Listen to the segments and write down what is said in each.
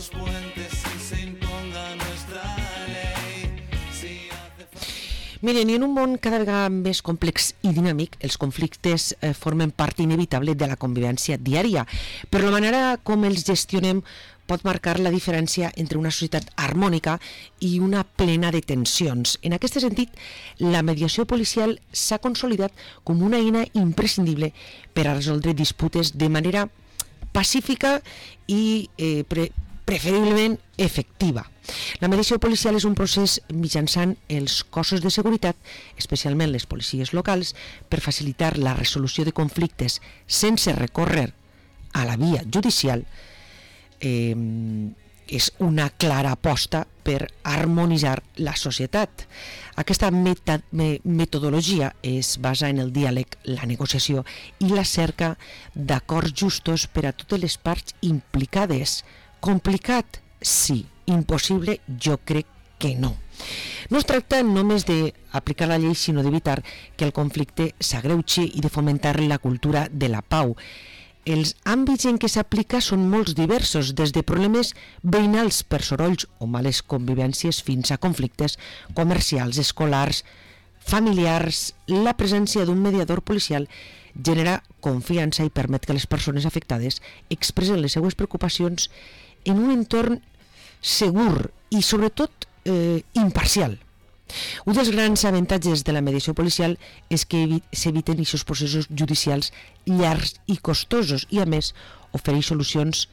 los puentes y se imponga nuestra ley. Si hace falta... Miren, i en un món cada vegada més complex i dinàmic, els conflictes formen part inevitable de la convivència diària, però la manera com els gestionem pot marcar la diferència entre una societat harmònica i una plena de tensions. En aquest sentit, la mediació policial s'ha consolidat com una eina imprescindible per a resoldre disputes de manera pacífica i preferiblement efectiva. La mediació policial és un procés mitjançant els cossos de seguretat, especialment les policies locals, per facilitar la resolució de conflictes sense recórrer a la via judicial. És una clara aposta per harmonitzar la societat. Aquesta metodologia es basa en el diàleg, la negociació i la cerca d'acords justos per a totes les parts implicades. Complicat? Sí. Impossible? Jo crec que no. No es tracta només d'aplicar la llei, sinó d'evitar que el conflicte s'agreugi i de fomentar la cultura de la pau. Els àmbits en què s'aplica són molts diversos, des de problemes veïnals per sorolls o males convivències fins a conflictes comercials, escolars, familiars. La presència d'un mediador policial genera confiança i permet que les persones afectades expressen les seues preocupacions en un entorn segur i sobretot imparcial. Un dels grans avantatges de la mediació policial és que s'eviten aquests processos judicials llargs i costosos i, a més, ofereix solucions,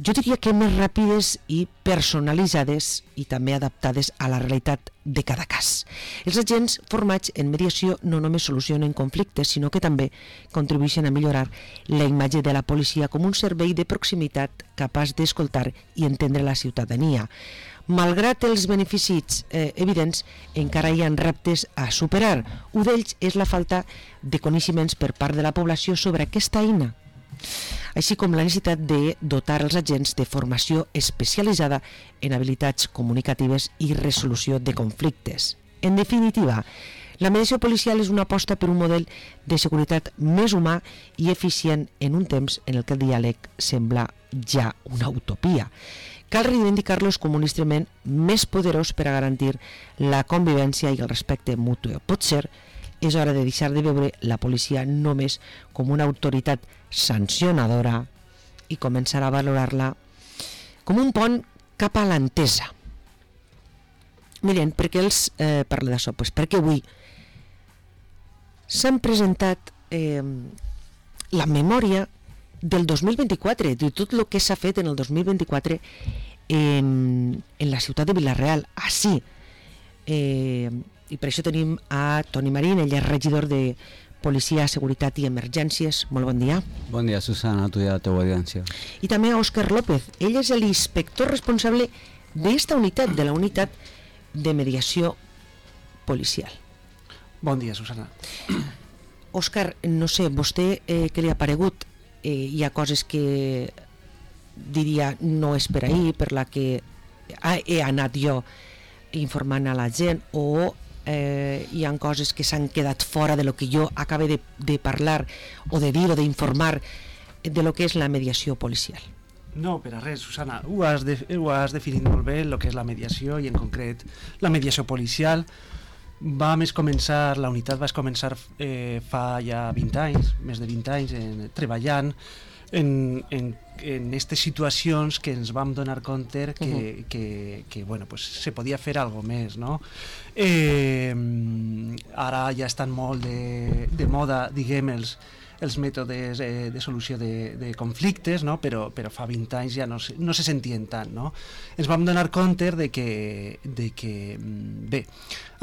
jo diria que més ràpides i personalitzades i també adaptades a la realitat de cada cas. Els agents formats en mediació no només solucionen conflictes, sinó que també contribueixen a millorar la imatge de la policia com un servei de proximitat capaç d'escoltar i entendre la ciutadania. Malgrat els beneficis evidents, encara hi ha reptes a superar. Un d'ells és la falta de coneixements per part de la població sobre aquesta eina, així com la necessitat de dotar els agents de formació especialitzada en habilitats comunicatives i resolució de conflictes. En definitiva, la mediació policial és una aposta per un model de seguretat més humà i eficient en un temps en el que el diàleg sembla ja una utopia. Cal reivindicar-los com un instrument més poderós per a garantir la convivència i el respecte mutu. Potser és hora de deixar de veure la policia només com una autoritat sancionadora i començar a valorar-la com un pont cap a l'entesa. Miren, per què els parlo d'això? Pues perquè avui s'han presentat la memòria del 2024, de tot el que s'ha fet en el 2024 en la ciutat de Vila-real, així. I per això tenim a Toni Marín, ell és regidor de Policia, Seguretat i Emergències. Molt bon dia. Bon dia, Susana, a tu i a la teva audiència. I també a Òscar López, ell és l'inspector responsable d'esta unitat, de la unitat de mediació policial. Bon dia, Susana. Òscar, no sé, vostè què li ha paregut? Hi ha coses que diria no és per ahir, per la que he anat jo informant a la gent, o hi ha coses que s'han quedat fora de lo que jo acabo de parlar o de dir o d'informar de lo que és la mediació policial. No, per a res, Susana, ho has definit molt bé el que és la mediació, i en concret la mediació policial. La unitat va començar fa ja 20 anys, més de 20 anys, treballant en aquestes situacions que ens vam donar compte que bueno, pues, se podia fer alguna cosa més, no? Ara ja estan molt de moda, diguem, els mètodes de solució de conflictes, no? però fa 20 anys ja no se sentien tant, no? Ens vam donar compte de que bé,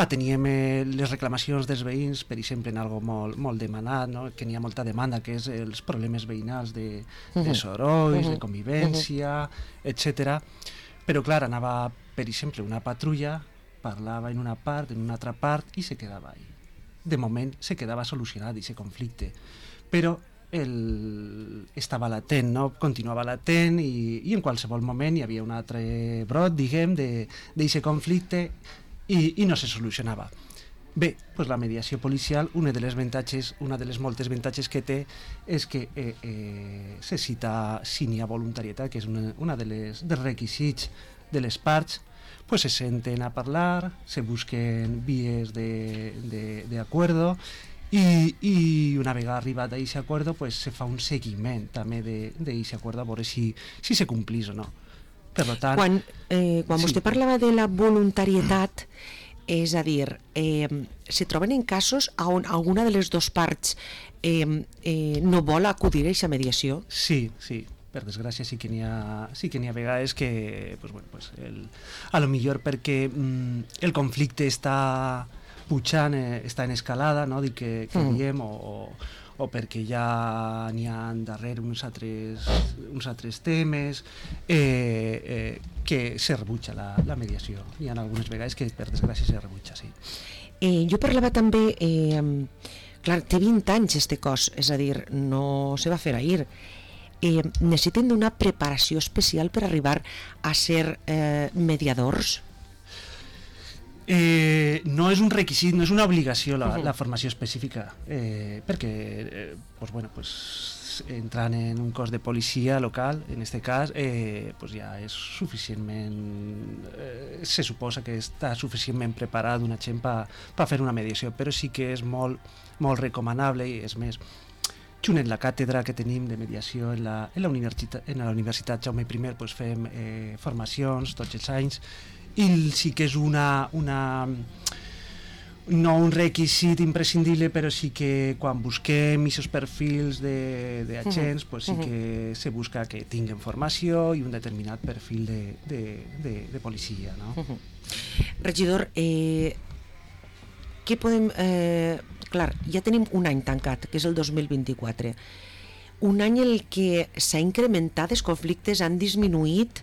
teníem les reclamacions dels veïns, per exemple, en algo molt demanat, no? Que n'hi ha molta demanda, que és els problemes veïnals de sorolls, de convivència, etc. Però clar, anava, per exemple, una patrulla, parlava en una part, en una altra part, i se quedava ahí. De moment se quedava solucionat aquest conflicte, però estava latent, no? Continuava latent, i en qualsevol moment hi havia un altre brot, diguem, d'aquest conflicte, i no se solucionava. Bé, doncs la mediació policial, una de les moltes avantatges que té és que se cita si n'hi ha voluntarietat, que és una dels requisits de les parts, pues se senten a parlar, se busquen vies de acuerdo i una vegada arribat a aquest acuerdo pues se fa un seguiment també d'aquest acuerdo a veure si se complís o no. Per tant, quan vostè parlava de la voluntarietat, és a dir, se troben en casos on alguna de les dues parts no vol acudir a aquesta mediació? Sí, per desgràcia sí que n'hi ha vegades que a lo millor perquè el conflicte està pujant, està en escalada, no? Dic que diem, o perquè ja n'hi ha darrere uns altres temes que se rebutja la mediació. Hi ha algunes vegades que per desgràcia se rebutja, sí. Jo parlava també, clar, té 20 anys este cos, és a dir, no se va fer ahir. Necessiten d'una preparació especial per arribar a ser mediadors? No és un requisit, no és una obligació la formació específica, perquè entrant en un cos de policia local, en aquest cas, ja és suficientment, se suposa que està suficientment preparat una gent per fer una mediació, però sí que és molt, molt recomanable, i és més, junt en la càtedra que tenim de mediació en la Universitat Jaume I, fem formacions tots els anys, i sí que és no un requisit imprescindible, però sí que quan busquem aquests perfils d'agents, sí que se busca que tinguin formació i un determinat perfil de policia, no? Regidor, què podem... Clar, ja tenim un any tancat, que és el 2024. Un any en què s'ha incrementat, els conflictes han disminuït...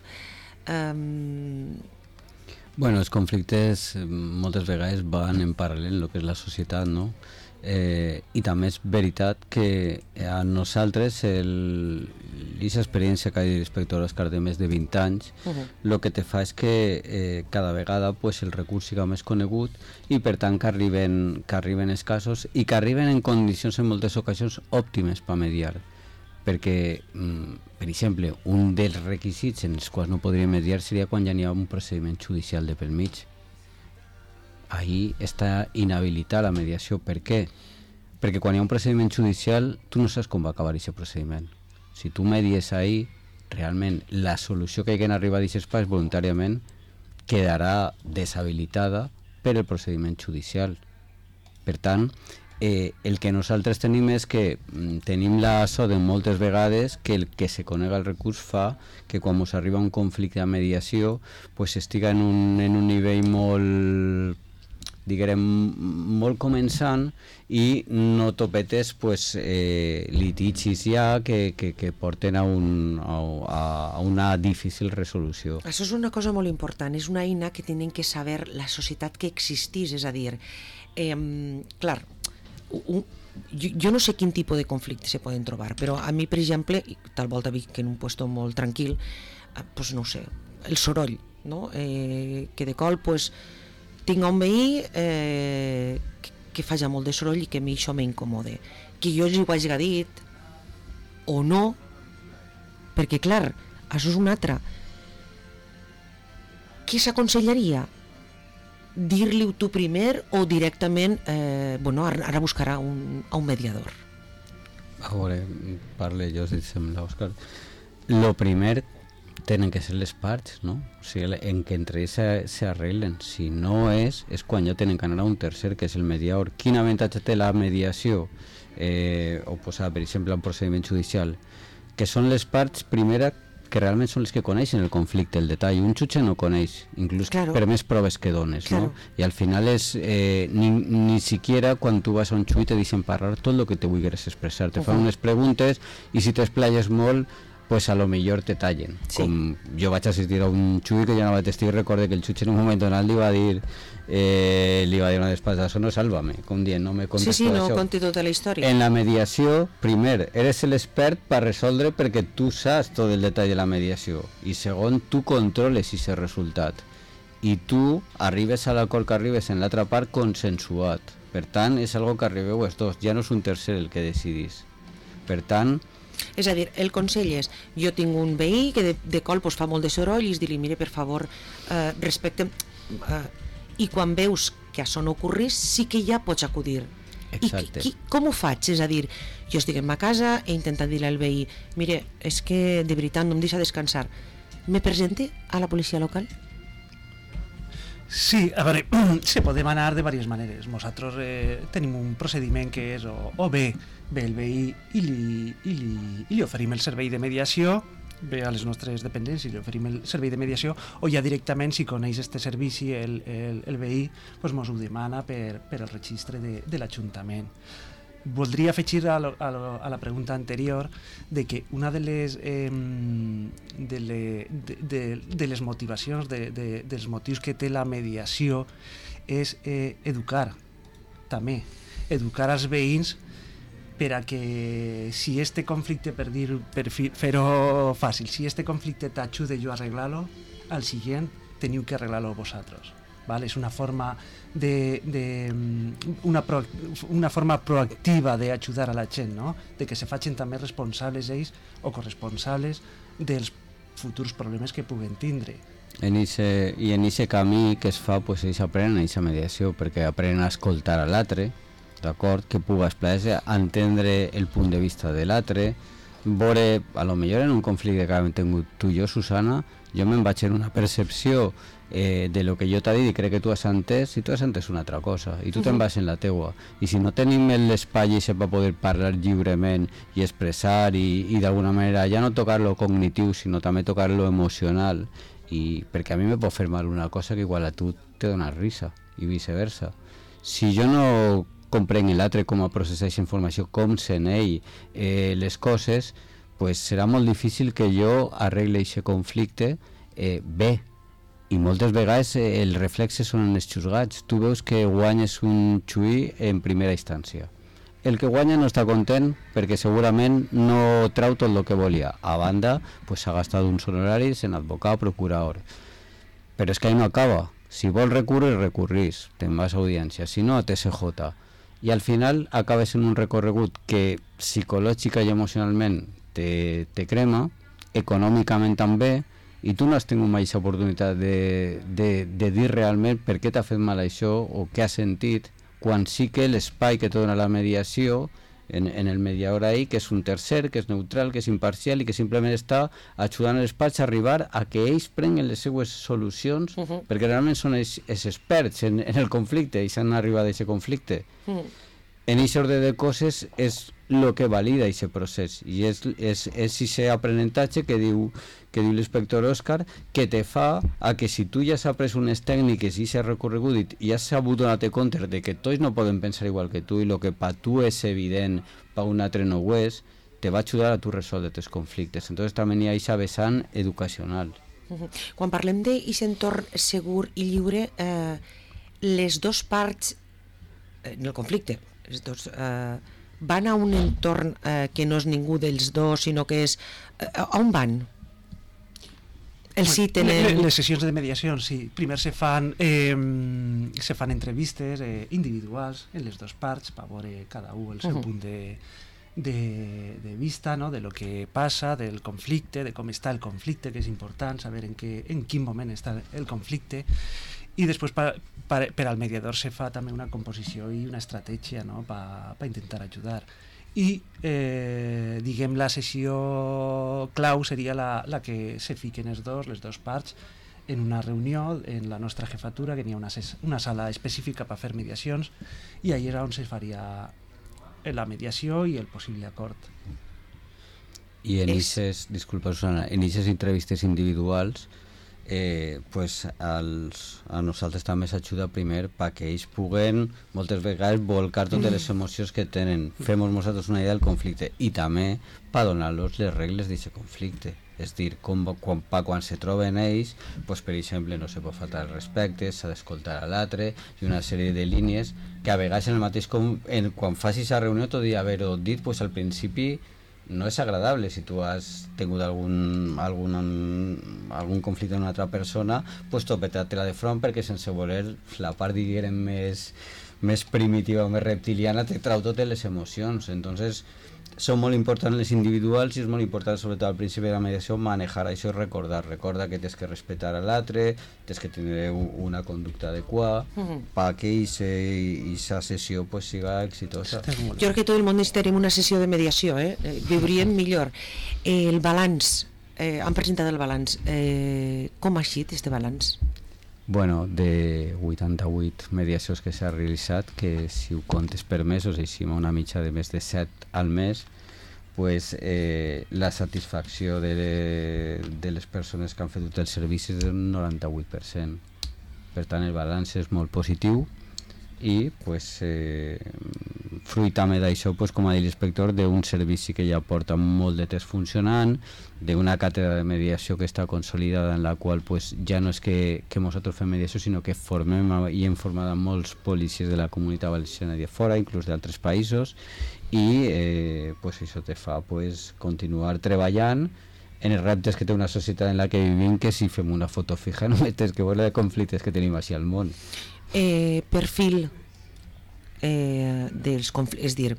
Bueno, els conflictes moltes vegades van en paral·lel en el que és la societat, no? I també és veritat que a nosaltres aquesta experiència que ha dit l'inspector Òscar de més de 20 anys el que te fa és que cada vegada el recurs siga més conegut i per tant que arriben els casos i que arriben en condicions en moltes ocasions òptimes per mediar, perquè per exemple un dels requisits en els quals no podríem mediar seria quan ja n'hi ha un procediment judicial de pel mig. Ahí està inhabilitada la mediació. Per què? Perquè quan hi ha un procediment judicial tu no saps com va acabar aquest procediment. Si tu medies ahí, realment la solució que haguen arribat a aquest pas voluntàriament quedarà deshabilitada per el procediment judicial. Per tant, el que nosaltres tenim és que tenim la sort de moltes vegades que el que se conega el recurs fa que quan ens arriba un conflicte de mediació estiga en un nivell molt molt començant i no topetes litigis ja que porten a una difícil resolució. Això és una cosa molt important, és una eina que tenen que saber la societat que existís, és a dir, clar, jo no sé quin tipus de conflicte se poden trobar, però a mi, per exemple, tal volta Vic, en un puesto molt tranquil, no ho sé, el soroll, no? Que de col, tinc un veí que fa ja molt de soroll i que a mi això m'incomode. Que jo li ho hagi dit o no, perquè clar, això és un altre. Què s'aconsellaria? Dir-li-ho tu primer o directament ara buscarà un mediador? A veure, parle jo, si et sembla, Òscar. Lo primer tenen que ser les parts, no? O sigui, en que entre ells s'arreglen. Si no és quan ja tenen que anar a un tercer, que és el mediador. Quin avantatge té la mediació? O posar, per exemple, un procediment judicial, que són les parts, primera, que realment són les que coneixen el conflicte, el detall. Un jutge no coneix, inclús per més proves que dones, no? I al final és ni siquiera quan tu vas a un jutge te deixen parlar tot el que te vulguis expressar. Te fan unes preguntes i si t'esplayes molt a lo millor te tallen. Com jo vaig assistir a un xui que ja no vaig estar i recorde que el xutxe en un moment donat li va dir una despasa, això no sálvame, com dient, no me contes tot no això. conti tota la història. En la mediació, primer, eres l'expert per resoldre perquè tu saps tot el detall de la mediació i segon, tu controles aquest resultat i tu arribes a l'acord que arribes en l'altra part consensuat. Per tant, és algo que arribeu els dos, ja no és un tercer el que decidís. Per tant... És a dir, el consell és, jo tinc un veí que de cop pues, fa molt de soroll i dir-li, mire, per favor, respecte... I quan veus que això no ocorrís, sí que ja pots acudir. Exacte. I com ho faig? És a dir, jo estic en ma casa, he intentat dir-li al veí, mire, és que de veritat no em deixa descansar. Me presente a la policia local? Sí, a veure, se podem anar de diverses maneres. Nosaltres tenim un procediment que és o bé el veí i li oferim el servei de mediació, ve a les nostres dependències i li oferim el servei de mediació, o ja directament, si coneix este servici el veí, doncs mos ho demana per el registre de l'Ajuntament. Voldria afegir a la pregunta anterior de que una de les motivacions, dels motius que té la mediació és educar, també, educar els veïns per a que si este conflicte, per fer-ho fàcil, si este conflicte t'ajuda jo a arreglar-lo, al següent teniu que arreglar-lo vosaltres. Vale? És una forma una forma proactiva d'ajudar a la gent, no? De que se facin també responsables ells o corresponsables dels futurs problemes que puguen tindre. I en aquest camí que es fa, pues, ells aprenen aquesta mediació, perquè aprenen a escoltar a l'altre, d'acord, que puga explicar, entendre el punt de vista de l'altre, veure, a lo millor en un conflicte que hem tingut tu i jo, Susana, jo me'n vaig en una percepció de lo que jo t'ha dit i crec que tu has entès, i tu has entès una altra cosa, i tu te'n vas en la teua. I si no tenim l'espai per poder parlar lliurement i expressar i d'alguna manera ja no tocar lo cognitiu, sinó també tocar lo emocional, i perquè a mi me pot fer mal una cosa que igual a tu te dona risa, i viceversa. Si jo no comprenc l'altre com a processar aquesta informació, com sent ell les coses, pues serà molt difícil que jo arregle aquest conflicte bé. I moltes vegades el reflexe són els xusgats. Tu veus que guanyes un xuí en primera instància. El que guanya no està content perquè segurament no trau tot el que volia. A banda, pues, s'ha gastat uns honoraris en advocat, procurador. Però és que ahí no acaba. Si vols recurrir, recurrís. Te'n vas a audiència. Si no, a TSJ. I al final acabes en un recorregut que psicològica i emocionalment te crema, econòmicament també, i tu no has tingut mai aquesta oportunitat de dir realment per què t'ha fet mal això o què has sentit, quan sí que l'espai que te dona la mediació, en el mediador ahí, que és un tercer, que és neutral, que és imparcial i que simplement està ajudant els parts a arribar a que ells prenguen les seues solucions, perquè realment són els experts en el conflicte i s'han arribat a aquest conflicte. En aquest ordre de coses és el que valida aquest procés i és aquest aprenentatge que diu l'inspector Òscar, que te fa a que si tu ja has après unes tècniques i s'ha recorregut i has sabut donar-te compte de que tots no poden pensar igual que tu i el que per tu és evident, per un altre no ho és, te va ajudar a tu resoldre els conflictes. Entonces també hi ha aquesta vessant educacional. Quan parlem d'aquest entorn segur i lliure, les dues parts en el conflicte, els dos, van a un entorn que no és ningú dels dos, sinó que és... on van? Sí tenen... Les sessions de mediació, sí. Primer se fan entrevistes individuals en les dues parts per veure cada un el seu punt de vista, no? De lo que passa, del conflicte, de com està el conflicte, que és important saber en quin moment està el conflicte, i després per al mediador se fa també una composició i una estratègia, no? per intentar ajudar. I diguem la sessió clau seria la que se fiquen les dues parts en una reunió en la nostra jefatura, que n'hi ha una sala específica per fer mediacions, i allà és on se faria la mediació i el possible acord. I en aquestes, disculpa Susana, en aquestes entrevistes individuals pues a nosaltres també s'ajuda primer perquè ells puguen moltes vegades volcar totes les emocions que tenen, fem nosaltres una idea del conflicte i també per donar-los les regles d'aquest conflicte, és dir, quan se troben ells, pues, per exemple no se pot faltar el respecte, s'ha d'escoltar a l'altre i una sèrie de línies que a vegades en el mateix quan facis la reunió tot i haver-ho dit, pues, al principi no és agradable. Si tu has tingut algun conflicte amb una altra persona, pues topetar-te-la de front, perquè sense voler la part, diguem, més primitiva o més reptiliana te trau totes les emocions. Entonces són molt importants les individuals, i és molt important, sobretot al principi de la mediació, manejar això i recordar que tens que respectar a l'altre, tens que tenir una conducta adequada perquè aquesta sessió pues siga exitosa. Jo crec que tot el món necessitarem una sessió de mediació, viuríem millor. El balanç, han presentat el balanç, com ha sigut este balanç? Bueno, de 88 mediacions que s'ha realitzat, que si ho comptes per mesos, així una mitja de més de 7 al mes, pues, la satisfacció de les persones que han fet tot el servici és del 98%. Per tant, el balanç és molt positiu i pues, fruit també d'això, pues, com ha dit l'inspector, d'un servici que ja porta molt de temps funcionant, d'una càtedra de mediació que està consolidada, en la qual pues, ja no és que nosaltres fem mediació, sinó que formem i hem format a molts policies de la comunitat valenciana i de fora, inclús d'altres països, i pues, això te fa pues, continuar treballant en els reptes que té una societat en la que vivim, que si fem una foto fija només tens que veure de conflictes que tenim així al món. Perfil dels conflictes, és dir,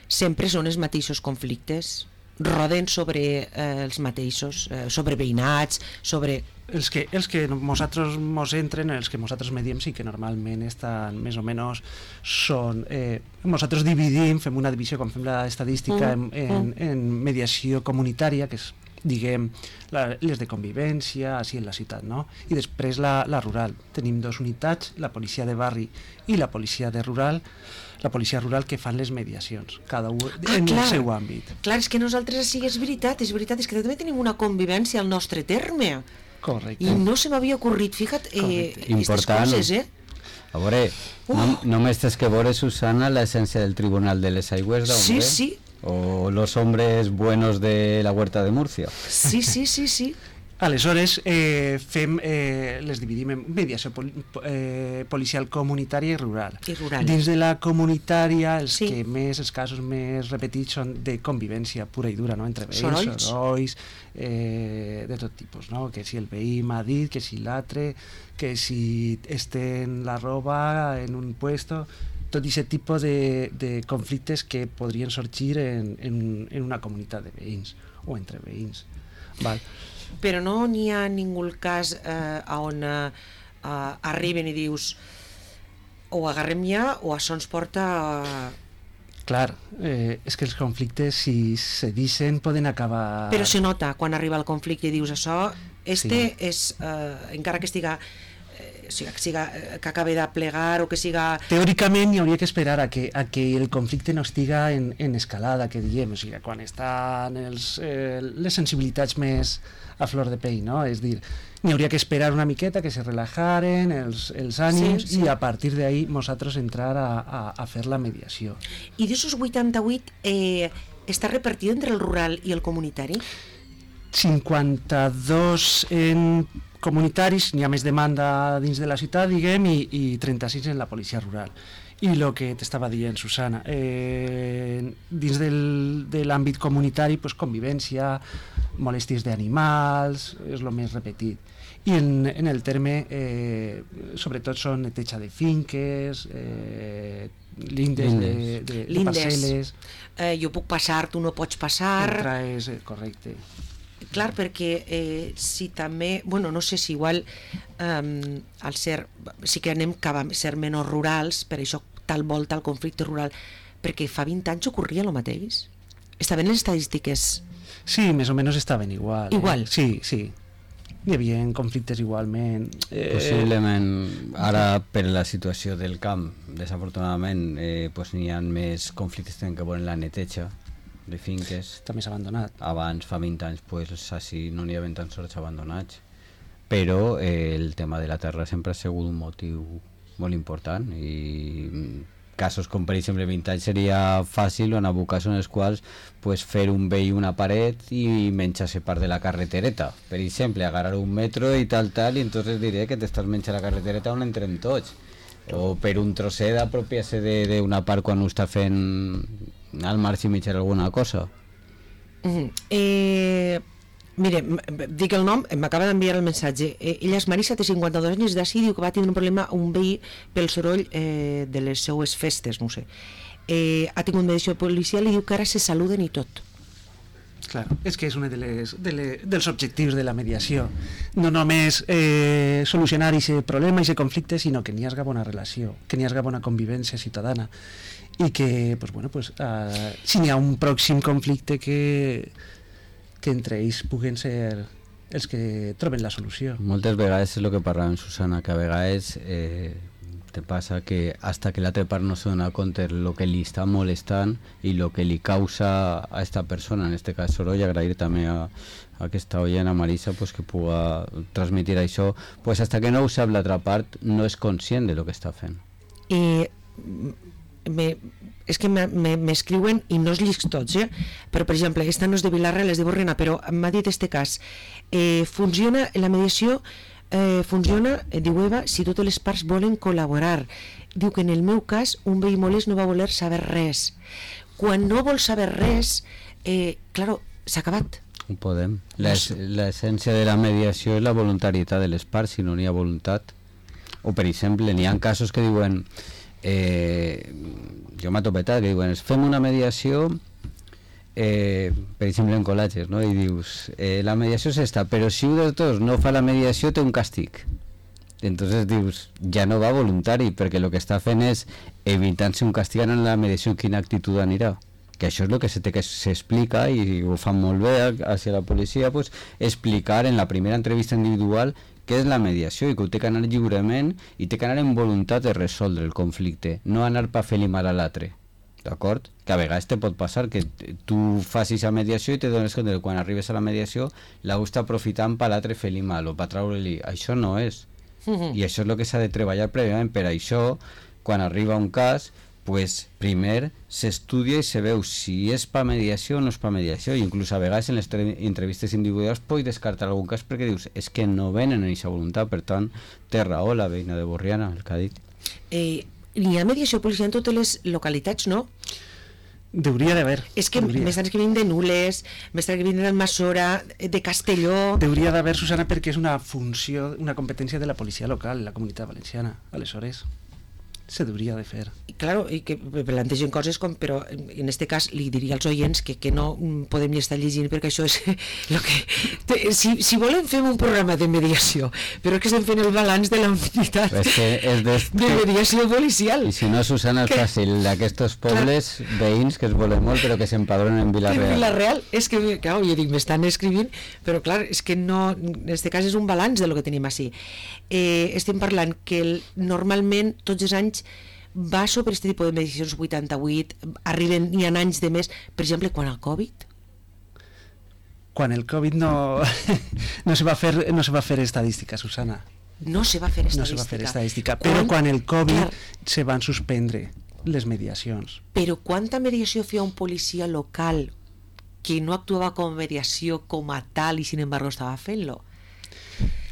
sempre són els mateixos conflictes, roden sobre els mateixos, sobre veïnats, sobre... Els que nosaltres mos entren, els que nosaltres mediem, sí que normalment estan més o menys són... nosaltres dividim, fem una divisió, quan fem l'estadística, en mediació comunitària, que és, diguem, les de convivència, així en la ciutat, no? I després la rural. Tenim dos unitats, la policia de barri i la policia rural, que fan les mediacions, cada un en el seu àmbit. Clar, és que nosaltres sí, és veritat, és que també tenim una convivència al nostre terme. Correcte. I no se m'havia ocorrit, fija't, aquestes coses, A veure, només tens que veure, Susana, l'essència del Tribunal de les Aigües d'Hombre. Sí. O los hombres buenos de la Huerta de Murcia. Sí. Aleshores, les dividim en mediació policial comunitària i rural. Dins de la comunitària, els casos més repetits són de convivència pura i dura, no? Entre veïns, sorolls, de tot tipus, no? Que si el veí m'ha dit, que si l'altre, que si estén la roba en un puesto, tot aquest tipus de conflictes que podrien sorgir en una comunitat de veïns o entre veïns. Val. Però no n'hi ha ningú cas on arriben i dius o agarrem ja o això ens porta Clar, és que els conflictes, si se deixen, poden acabar... Però se nota quan arriba el conflicte i dius això, és, encara que estiga... que acabi de plegar o que siga... Teòricament hi hauria que esperar a que el conflicte no estiga en escalada, que diem, o sigui, quan estan les sensibilitats més a flor de pell, no? És dir, n'hi hauria que esperar una miqueta, que se relajaren els ànims i a partir d'ahí nosaltres entrar a fer la mediació. I d'aquests 88 està repartit entre el rural i el comunitari? 52 en comunitaris, n'hi ha més demanda dins de la ciutat, diguem, i 36 en la policia rural. I el que t'estava dient, Susana, dins de l'àmbit comunitari, pues, convivència, molèsties d'animals, és el més repetit. I en el terme, sobretot, són neteja de finques, lindes de parcel·les. Jo puc passar, tu no pots passar. Correcte. Clar, perquè si també, bueno, no sé si igual al ser, sí que anem cap a ser menys rurals, per això tal volta el conflicte rural, perquè fa 20 anys ocorria el mateix. Estaven les estadístiques? Sí, més o menys estaven igual. Igual? Sí. Hi havia conflictes igualment. Possiblement, ara per la situació del camp, desafortunadament, pues, n'hi ha més conflictes que tenen que veure en la neteja de finques. Està més abandonat. Abans, fa 20 anys, pues, així no n'hi havia tants horts abandonats. Però el tema de la terra sempre ha sigut un motiu molt important, i casos com, per exemple, 20 anys seria fàcil, o en alguns casos en els quals pues, fer un vell una paret i menjar-se part de la carretereta. Per exemple, agarrar un metro i tal, i entonces diré que t'estàs menjant la carretereta on entrem tots. O per un trosset apropiar-se d'una part quan ho està fent al marge i mitjar alguna cosa. Mire, dic el nom, m'acaba d'enviar el missatge. Ella és Marisa, té 52 anys, d'ací, diu que va tindre un problema, un veí, pel soroll de les seues festes, no ho sé. Ha tingut mediació policial i diu que ara se saluden i tot. Claro, és que és un dels objectius de la mediació. No només solucionar aquest problema, aquest conflicte, sinó que n'hi hagi bona relació, que n'hi hagi bona convivència ciutadana i que, si n'hi ha un pròxim conflicte que entre ells puguen ser els que troben la solució. Moltes vegades és el que parlàvem, Susana, que a vegades te passa que hasta que l'altra part no se dona compte el que li està molestant i el que li causa a esta persona, en este cas soroll, agrair també a aquesta oient, a Marisa, pues, que puga transmitir això, pues hasta que no ho sap l'altra part no és conscient de lo que està fent. És que m'escriuen i no els llics tots, però per exemple, esta no és de Vilarreal, és de Borriana, però m'ha dit este cas. Funciona la mediació, diu Eva, si totes les parts volen col·laborar. Diu que en el meu cas un veí molest no va voler saber res. Quan no vol saber res, claro, s'ha acabat. Ho podem. L'essència de la mediació és la voluntarietat de les parts, si no n'hi ha voluntat. O per exemple, n'hi ha casos que diuen jo m'ha topetat, que diuen fem una mediació per exemple en col·legis, no? I dius la mediació és esta, però si un dels dos no fa la mediació té un càstig. Entonces dius, ja no va voluntari, perquè el que està fent és evitant-se un càstig en la mediació, quina actitud anirà, que això és el que s'explica i ho fan molt bé hacia la policia, pues, explicar en la primera entrevista individual què és la mediació i que ho té que anar lliurement i té que anar en voluntat de resoldre el conflicte, no anar per fer-li mal a l'altre, d'acord? Que a vegades te pot passar que tu facis la mediació i te dones compte que quan arribes a la mediació l'heu està aprofitant per l'altre fer-li mal o per treure-li, això no és. I això és el que s'ha de treballar prèviament. Per això, quan arriba un cas, pues, primer s'estudia i se veu si és per mediació o no és per mediació, i inclús a vegades en les entrevistes individuals pots descartar algun cas perquè dius, és que no venen en aquesta voluntat. Per tant, té raó la veïna de Borriana, el que ha dit. N'hi ha mediació policial en totes les localitats, no? Deuria d'haver. És que m'estan escrivint de Nules, m'estan escrivint d'Almassora, de Castelló... Deuria d'haver, Susana, perquè és una funció, una competència de la policia local, la Comunitat Valenciana. Aleshores, se deuria de fer. Claro, i que plantegen coses com, però en este cas li diria als oients que no podem ni estar llegint perquè això és el que... Si volen fem un programa de mediació, però és que estem fent el balanç de la unitat de mediació policial. I si no, Susana, és fàcil, d'aquests pobles veïns que es volen molt però que s'empadronen en Vilarreal. En Vilarreal, és que, clar, jo dic, m'estan escrivint, però clar, és que no, en este cas és un balanç de lo que tenim així. Estem parlant que normalment tots els anys va sobre aquest tipus de mediacions 88, n'hi ha anys de més, per exemple, quan el Covid? Quan el Covid no se va fer estadística, Susana. No se va fer estadística. No se va fer estadística, però quan el Covid se van suspendre les mediacions. Però quanta mediació feia un policia local que no actuava com mediació com a tal i sin embargo estava fent-lo?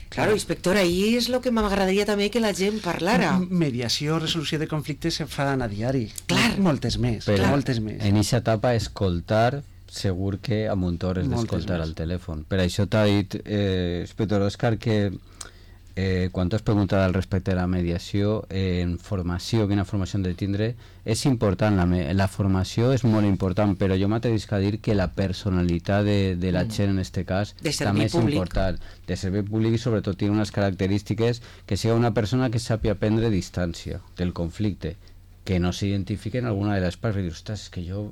Claro, inspector, ahí és el que m'agradaria també que la gent parlara. Mediació, resolució de conflictes se fan a diari. Clar. Moltes més. Però moltes més. En aquesta etapa, escoltar, segur que a Montor és d'escoltar al telèfon. Per això t'ha dit, inspector Òscar, que quan t'has preguntat al respecte de la mediació, en formació, quina formació hem de tindre, és important, la formació és molt important, però jo m'atrevisc a dir que la personalitat de la gent en aquest cas també és important, de servei públic, i sobretot té unes característiques que sigui una persona que sàpia prendre distància del conflicte, que no s'identifiqui en alguna de les parts, i dir, ostres, és que jo,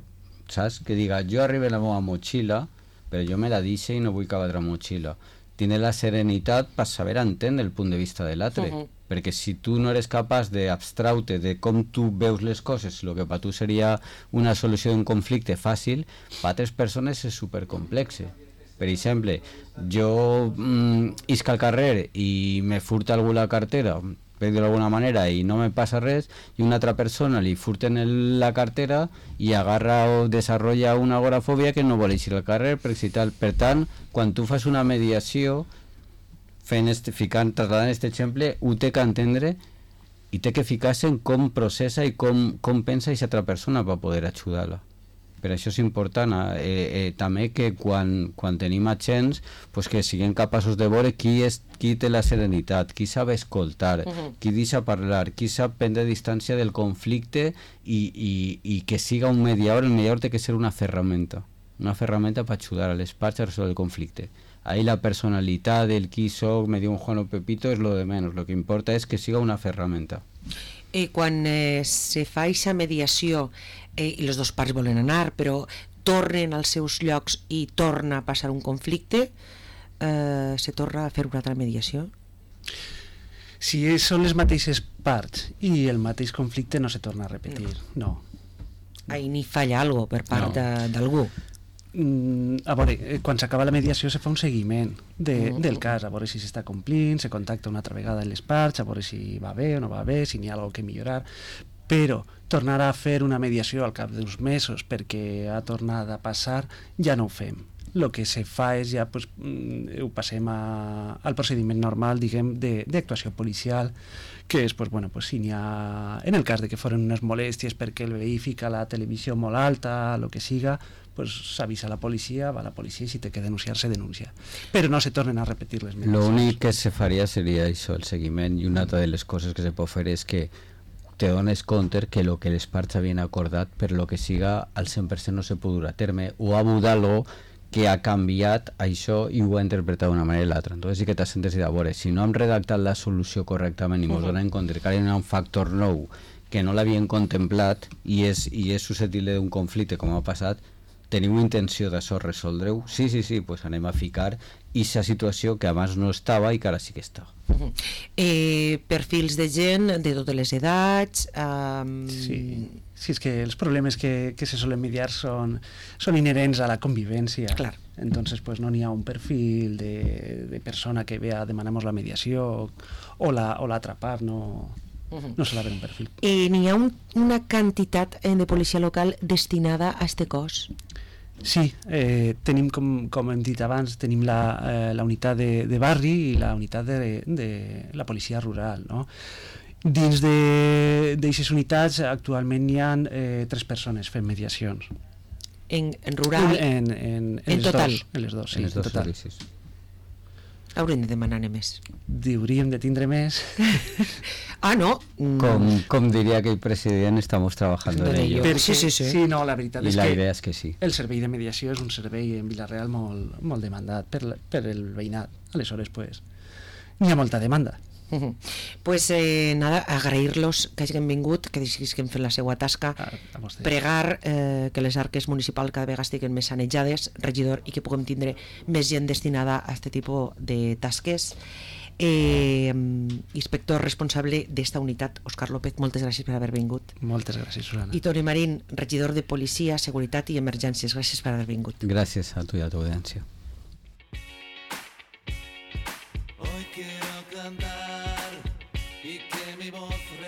saps? Que diga, jo arribo a la meva motxilla, però jo me la deixo i no vull que l'altra motxilla. Tiene la serenitat per saber entendre el punt de vista de l'altre, perquè si tu no eres capaç d'abstraure de com tu veus les coses, el que per tu seria una solució d'un conflicte fàcil, per altres persones és supercomplexe. Per exemple, jo isc al carrer i me furta algú la cartera, per dir-ho d'alguna manera, i no me passa res, i una altra persona li furten la cartera i agarra o desenvolupa una agorafòbia que no vol eixir al carrer, per tant, quan tu fas una mediació, trasladant aquest exemple, ho té que entendre i té que ficar-se en com processa i com pensa aquesta altra persona per poder ajudar-la. Per això és important també que quan tenim agents pues que siguin capaços de veure qui té la serenitat, qui sap escoltar, qui deixa parlar, qui sap prendre distància del conflicte i que siga un mediador. El mediador té que ser una ferramenta per ajudar a les parts a resoldre el conflicte. Ahí la personalitat, el qui soc, me diu un Juan o Pepito, és lo de menos. Lo que importa és que siga una ferramenta. Quan se fa aquesta mediació i les dues parts volen anar, però tornen als seus llocs i torna a passar un conflicte, se torna a fer una altra mediació? Si són les mateixes parts i el mateix conflicte, no se torna a repetir, no. Ahí ni falla algo per part d'algú. A veure, quan s'acaba la mediació se fa un seguiment del cas, a veure si s'està complint, se contacta una altra vegada en les parts, a veure si va bé o no va bé, si n'hi ha alguna cosa que millorar, però tornar a fer una mediació al cap d'uns mesos perquè ha tornat a passar, ja no ho fem. El que se fa és ja, pues, ho passem al procediment normal, diguem, d'actuació policial, que és, pues, bueno, pues, si n'hi ha, en el cas de que foren unes molèsties perquè el veí fica la televisió molt alta, el que siga, pues s'avisa a la policia, va a la policia i si té que denunciar, se denuncia. Però no se tornen a repetir les mediacions. L'únic que se faria seria això, el seguiment, i una altra de les coses que se pot fer és que te dones compte que el que les parts havien acordat, per lo que siga, al 100% no se pot dur a terme, o ha hagut algo que ha canviat això i ho ha interpretat d'una manera o l'altra. Entonces sí que t'has sentit a veure, si no hem redactat la solució correctament i ens donem compte que hi ha un factor nou que no l'havien contemplat i és susceptible d'un conflicte com ha passat, teniu intenció d'això resoldre-ho? Sí, pues anem a ficar aquesta situació que abans no estava i que ara sí que està. Perfils de gent de totes les edats... Sí, és que els problemes que se solen mediar són inherents a la convivència. Clar. Entonces, pues, no n'hi ha un perfil de persona que ve a demanar-nos la mediació o l'altra part, no se l'ha un perfil. N'hi ha una quantitat de policia local destinada a este cos? Sí, tenim, com hem dit abans, tenim la unitat de barri i la unitat de la policia rural, no? Dins d'aquestes unitats actualment hi ha 3 persones fent mediacions. En rural? En total? En les dos, sí, en total. servicis. Haurem de demanar-ne més. Hauríem de tindre més. No. Com diria aquell president, estamos trabajando en ello. Sí, no, la veritat és la que idea és que sí. El servei de mediació és un servei en Vila-real molt demandat per el veïnat. Aleshores, pues, n'hi ha molta demanda. Pues nada, agrair-los que hagin vingut, que deixin fer la seva tasca, pregar que les arques municipals cada vegada estiguen més sanejades, regidor, i que puguem tindre més gent destinada a aquest tipus de tasques. Inspector responsable d'esta unitat, Òscar López, moltes gràcies per haver vingut. Moltes gràcies, Susana. I Toni Marín, regidor de Policia, Seguretat i Emergències, gràcies per haver vingut. Gràcies a tu i a tu audiència. Hoy quiero cantar